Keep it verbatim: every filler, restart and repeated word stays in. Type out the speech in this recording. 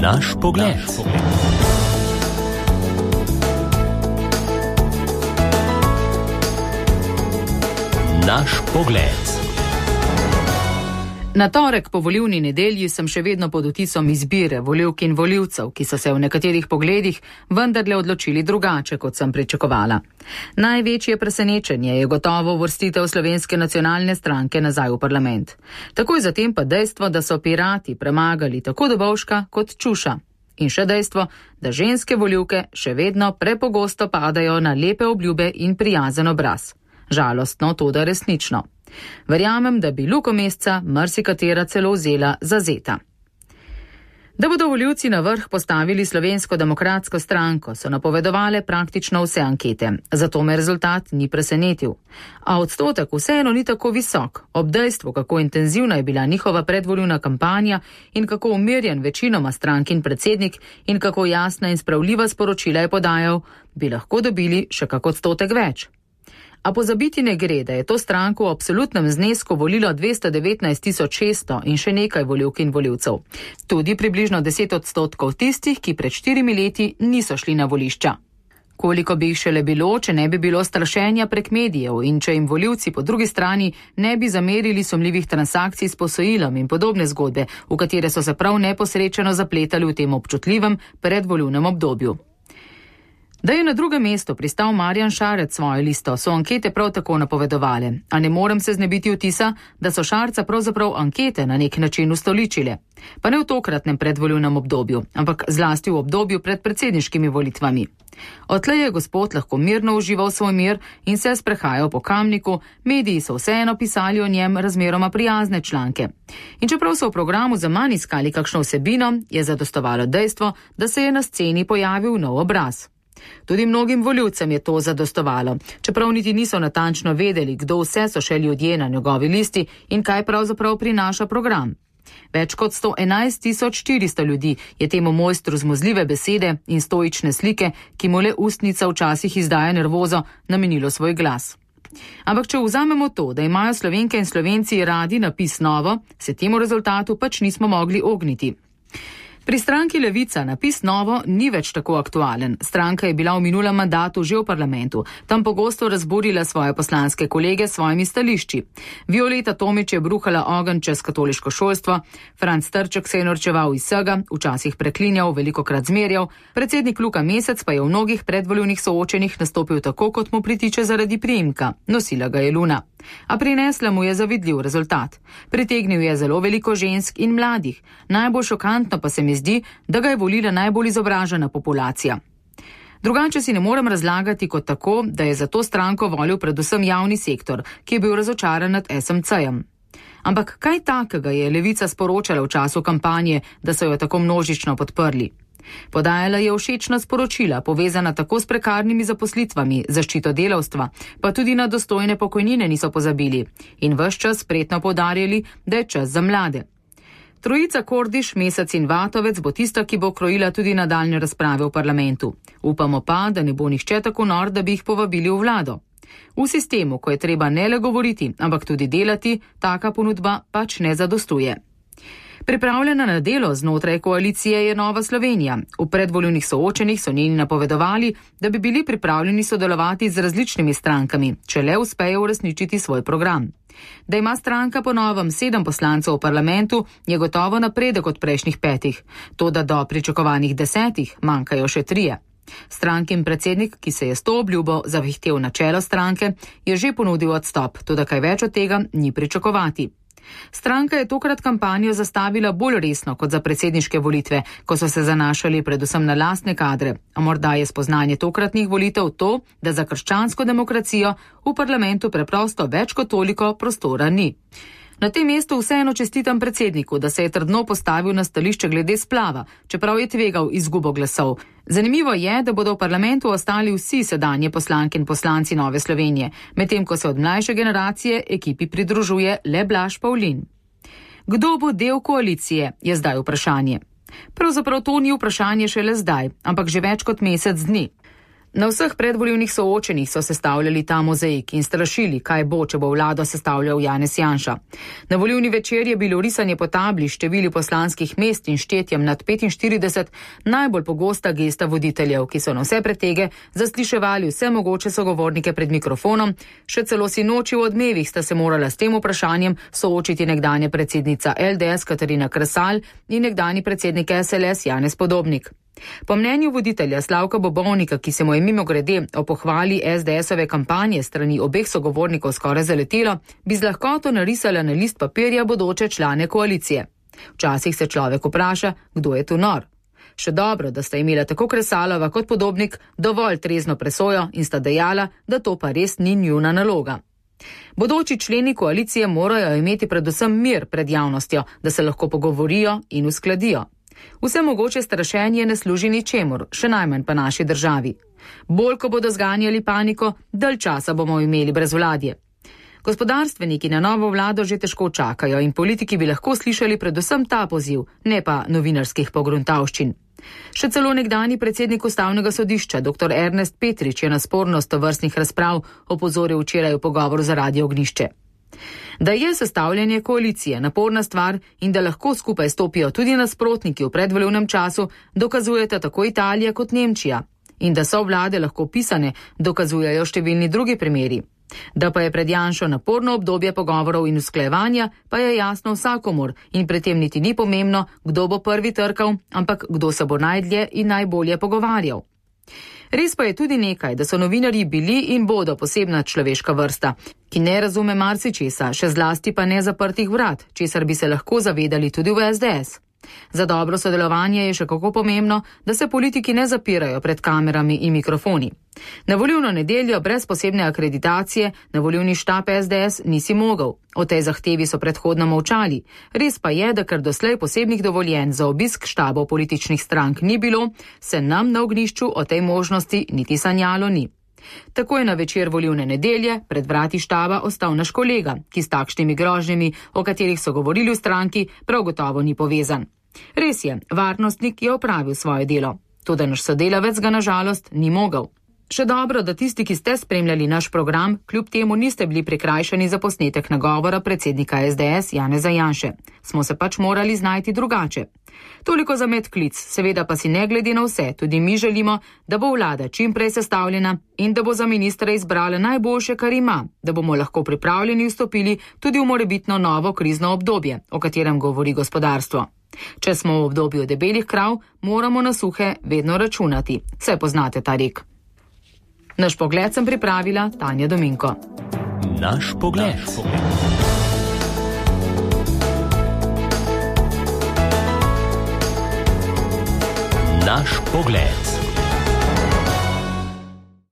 Naš pogled. Naš pogled. Na torek po volilni nedelji sem še vedno pod vtisom izbire volivk in volivcev, ki so se v nekaterih pogledih vendarle odločili drugače, kot sem pričakovala. Največje presenečenje je gotovo uvrstitev Slovenske nacionalne stranke nazaj v parlament. Takoj zatem pa dejstvo, da so Pirati premagali tako Dobovška kot Čuša. In še dejstvo, da ženske volivke še vedno prepogosto padajo na lepe obljube in prijazen obraz. Žalostno, toda resnično. Verjamem, da bi Luko Mesca marsikatera celo vzela za zeta. Da bodo volivci na vrh postavili Slovensko demokratsko stranko, so napovedovale praktično vse ankete, zato me rezultat ni presenetil. A odstotek vseeno ni tako visok, ob dejstvu, kako intenzivna je bila njihova predvolilna kampanja in kako umirjen večinoma strankin predsednik in kako jasna in spravljiva sporočila je podajal, bi lahko dobili še kak odstotek več. A pozabiti ne gre, da je to stranko v absolutnem znesku volilo dvesto devetnajst tisoč šeststo in še nekaj volivk in volivcev. Tudi približno deset odstotkov tistih, ki pred štirimi leti niso šli na volišča. Koliko bi jih šele bilo, če ne bi bilo strašenja prek medijev in če jim volivci po drugi strani ne bi zamerili sumljivih transakcij s posojilom in podobne zgodbe, v katere so se prav neposrečeno zapletali v tem občutljivem predvolilnem obdobju. Da je na drugem mestu pristal Marjan Šarec svojo listo, so ankete prav tako napovedovale, a ne morem se znebiti vtisa, da so Šarca pravzaprav ankete na nek način ustoličile. Pa ne v tokratnem predvolilnem obdobju, ampak zlasti v obdobju pred predsedniškimi volitvami. Odtlej je gospod lahko mirno užival svoj mir in se sprehajal po Kamniku, mediji so vseeno pisali o njem razmeroma prijazne članke. In čeprav so v programu zaman iskali kakšno vsebino, je zadostovalo dejstvo, da se je na sceni pojavil nov obraz. Tudi mnogim volivcem je to zadostovalo, čeprav niti niso natančno vedeli, kdo vse so še ljudje na njegovi listi in kaj pravzaprav prinaša program. Več kot sto enajst tisoč štiristo ljudi je temu mojstru zmozljive besede in stoične slike, ki mu le ustnica včasih izdaja nervozo, namenilo svoj glas. Ampak če vzamemo to, da imajo Slovenke in Slovenci radi napis novo, se temu rezultatu pač nismo mogli ogniti. Pri stranki Levica napis novo ni več tako aktualen. Stranka je bila v minulem mandatu že v parlamentu, tam pogosto razburila svoje poslanske kolege s svojimi stališči. Violeta Tomić je bruhala ogenj čez katoliško šolstvo, Franc Trček se je norčeval iz vsega, včasih preklinjal, velikokrat zmerjal, predsednik Luka Mesec pa je v mnogih predvolilnih soočenjih nastopil tako, kot mu pritiče zaradi priimka. Nosila ga je Luna. A prinesla mu je zavidljiv rezultat. Pritegnil je zelo veliko žensk in mladih. Najbolj šokantno pa se mi zdi, da ga je volila najbolj izobražena populacija. Drugače si ne morem razlagati kot tako, da je za to stranko volil predvsem javni sektor, ki je bil razočaran nad es em ce-jem. Ampak kaj takega je Levica sporočala v času kampanje, da so jo tako množično podprli? Podajala je všečna sporočila, povezana tako s prekarnimi zaposlitvami, zaščito delavstva, pa tudi na dostojne pokojnine niso pozabili in ves čas spretno poudarjali, da je čas za mlade. Trojica Kordiš, Mesec in Vatovec bo tista, ki bo krojila tudi nadaljne razprave v parlamentu. Upamo pa, da ne bo nihče tako nor, da bi jih povabili v vlado. V sistemu, ko je treba ne le govoriti, ampak tudi delati, taka ponudba pač ne zadostuje. Pripravljena na delo znotraj koalicije je Nova Slovenija. V predvolilnih soočenjih so njeni napovedovali, da bi bili pripravljeni sodelovati z različnimi strankami, če le uspejo uresničiti svoj program. Da ima stranka po novem sedem poslancev v parlamentu, je gotovo napredek od prejšnjih petih, toda do pričakovanih desetih manjkajo še trije. Strankin predsednik, ki se je s to obljubo zavihtel na čelo stranke, je že ponudil odstop, toda kaj več od tega ni pričakovati. Stranka je tokrat kampanjo zastavila bolj resno kot za predsedniške volitve, ko so se zanašali predvsem na lastne kadre, a morda je spoznanje tokratnih volitev to, da za krščansko demokracijo v parlamentu preprosto več kot toliko prostora ni. Na tem mestu vseeno čestitam predsedniku, da se je trdno postavil na stališče glede splava, čeprav je tvegal izgubo glasov. Zanimivo je, da bodo v parlamentu ostali vsi sedanje poslanke in poslanci Nove Slovenije, medtem ko se od mlajše generacije ekipi pridružuje le Blaž Pavlin. Kdo bo del koalicije, je zdaj vprašanje. Pravzaprav to ni vprašanje šele zdaj, ampak že več kot mesec dni. Na vseh predvolilnih soočenjih so sestavljali ta mozaik in strašili, kaj bo, če bo vlado sestavljal Janez Janša. Na volilni večer je bilo risanje po tabli števili poslanskih mest in štetjem nad petinštirideset najbolj pogosta gesta voditeljev, ki so na vse pretege zasliševali vse mogoče sogovornike pred mikrofonom, še celo sinoči v odmevih sta se morala s tem vprašanjem soočiti nekdanja predsednica L D S Katarina Kresal in nekdanji predsednik S L S Janez Podobnik. Po mnenju voditelja Slavka Bobovnika, ki se mu je mimogrede o pohvali S D S-ove kampanje strani obeh sogovornikov skoraj zaletelo, bi z lahkoto narisala na list papirja bodoče člane koalicije. Včasih se človek vpraša, kdo je tu nor. Še dobro, da sta imela tako Kresalova kot Podobnik dovolj trezno presojo in sta dejala, da to pa res ni njuna naloga. Bodoči členi koalicije morajo imeti predvsem mir pred javnostjo, da se lahko pogovorijo in uskladijo. Vse mogoče strašenje ne služi ničemur, še najmanj pa naši državi. Bolj, ko bodo zganjali paniko, dalj časa bomo imeli brezvladje. Gospodarstveniki na novo vlado že težko čakajo in politiki bi lahko slišali predvsem ta poziv, ne pa novinarskih pogruntavščin. Še celo nekdani predsednik Ustavnega sodišča, dr. Ernest Petrič, je na spornost tovrstnih razprav opozoril včeraj v pogovoru za Radio Ognjišče. Da je sestavljanje koalicije naporna stvar in da lahko skupaj stopijo tudi nasprotniki v predvolilnem času, dokazujeta tako Italija kot Nemčija. In da so vlade lahko pisane, dokazujejo številni drugi primeri. Da pa je pred Janšo naporno obdobje pogovorov in usklajevanja, pa je jasno vsakomur in pri tem niti ni pomembno, kdo bo prvi trkal, ampak kdo se bo najdlje in najbolje pogovarjal. Res pa je tudi nekaj, da so novinarji bili in bodo posebna človeška vrsta, ki ne razume marsičesa, še zlasti pa ne zaprtih vrat, česar bi se lahko zavedali tudi v S D S. Za dobro sodelovanje je še kako pomembno, da se politiki ne zapirajo pred kamerami in mikrofoni. Na volilno nedeljo brez posebne akreditacije na volilni štab S D S nisi mogel. O tej zahtevi so predhodno molčali. Res pa je, da ker doslej posebnih dovoljenj za obisk štabov političnih strank ni bilo, se nam na Ognjišču o tej možnosti niti sanjalo ni. Tako je na večer volilne nedelje pred vrati štaba ostal naš kolega, ki s takšnimi grožnjami, o katerih so govorili v stranki, prav gotovo ni povezan. Res je, varnostnik je opravil svoje delo, toda naš sodelavec ga nažalost ni mogel. Še dobro, da tisti, ki ste spremljali naš program, kljub temu niste bili prikrajšani za posnetek nagovora predsednika S D S Janeza Janše. Smo se pač morali znajti drugače. Toliko za medklic, seveda pa si ne glede na vse, tudi mi želimo, da bo vlada čim prej sestavljena in da bo za ministra izbrala najboljše, kar ima, da bomo lahko pripravljeni vstopili tudi v morebitno novo krizno obdobje, o katerem govori gospodarstvo. Če smo v obdobju debelih krav, moramo na suhe vedno računati. Vse poznate ta rek. Naš pogled sem pripravila Tanja Dominko. Naš pogled. Naš pogled.